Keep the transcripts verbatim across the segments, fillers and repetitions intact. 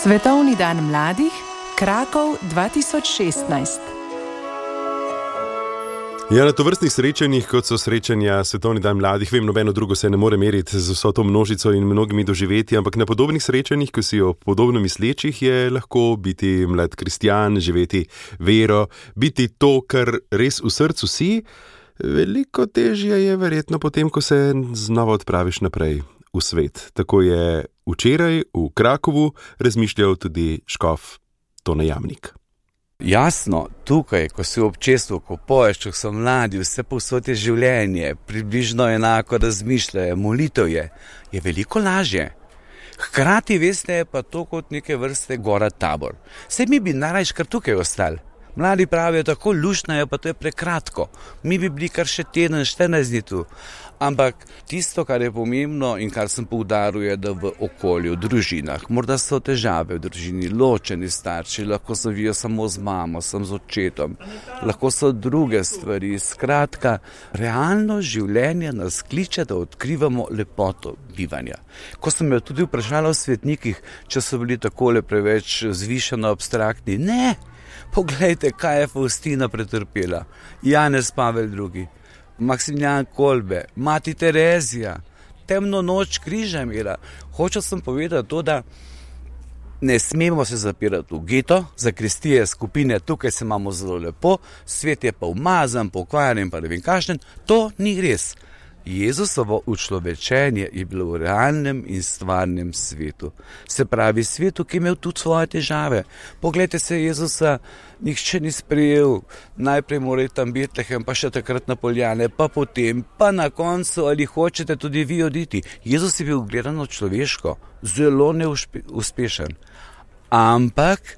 Svetovni dan mladih, Krakov dva tisoč šestnajst. Ja, na tovrstnih srečanjih, kot so srečanja Svetovni dan mladih, vem, nobeno drugo se ne more meriti z vso to množico in mnogimi doživetji, ampak na podobnih srečanjih, ko si o podobno mislečih, je lahko biti mlad kristjan, živeti vero, biti to, kar res v srcu si. Veliko težje je verjetno potem, ko se znova odpraviš naprej v svet. Tako je včeraj v Krakovu razmišljal tudi škof Tone Jamnik. Jasno, tukaj, ko si v občestvu, ko poješ, če so mladi, vse povsod je življenje, približno enako razmišljajo, molitev je, je veliko lažje. Hkrati, veste, je pa to kot neke vrste gora tabor. Saj mi bi narajš kar tukaj ostali. Mladi pravijo, tako luštno je, pa to je prekratko. Mi bi bili kar še teden, štirinajst dni tu. Ampak tisto, kar je pomembno in kar sem poudaril, je, da v okolju, v družinah, morda so težave v družini, ločeni starši, lahko so vijo samo z mamo, sem z očetom, lahko so druge stvari. Skratka, realno življenje nas kliče, da odkrivamo lepoto bivanja. Ko sem jo tudi vprašala o svetnikih, če so bili takole preveč zvišeno abstraktni, ne! Poglejte, kaj je Faustina pretrpela, Janez Pavel drugi, Maksimilijan Kolbe, mati Terezija, temno noč križa imela. Hočel sem povedati to, da ne smemo se zapirati v geto, zakristije skupine, tukaj se imamo zelo lepo, svet je pa umazan, pokvarjen, pa ne vem kakšen, to ni res. Jezusovo učlovečenje je bilo v realnem in stvarnem svetu. Se pravi, svetu, ki je imel tudi svoje težave. Poglejte se, Jezusa nihče ni sprejel. Najprej mora tam Betlehem, pa še takrat na Poljane, pa potem, pa na koncu, ali hočete tudi vi oditi. Jezus je bil gledano človeško, zelo neuspešen. Ampak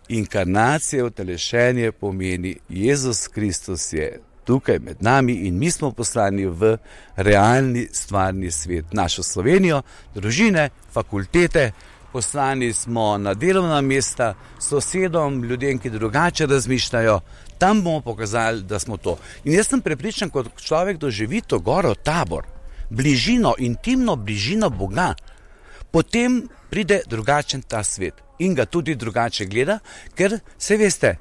inkarnacija, utelešenje pomeni, Jezus Kristus je tukaj med nami in mi smo poslani v realni, stvarni svet. Našo Slovenijo, družine, fakultete, poslani smo na delovna mesta, sosedom, ljudem, ki drugače razmišljajo, tam bomo pokazali, da smo to. In jaz sem prepričan, kot človek doživi to goro tabor, bližino, intimno bližino Boga, potem pride drugačen ta svet in ga tudi drugače gleda, ker se veste,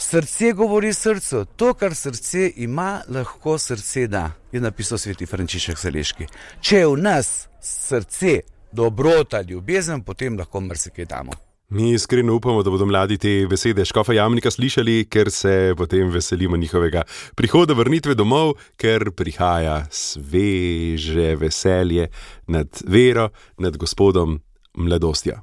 srce govori srcu, to, kar srce ima, lahko srce da, je napisal sveti Frančišek Saleški. Če je v nas srce, dobrota, ljubezen, potem lahko marsikaj damo. Mi iskreno upamo, da bodo mladi te besede škofa Jamnika slišali, ker se potem veselimo njihovega prihoda, vrnitve domov, ker prihaja sveže veselje nad vero, nad Gospodom, mladostjo.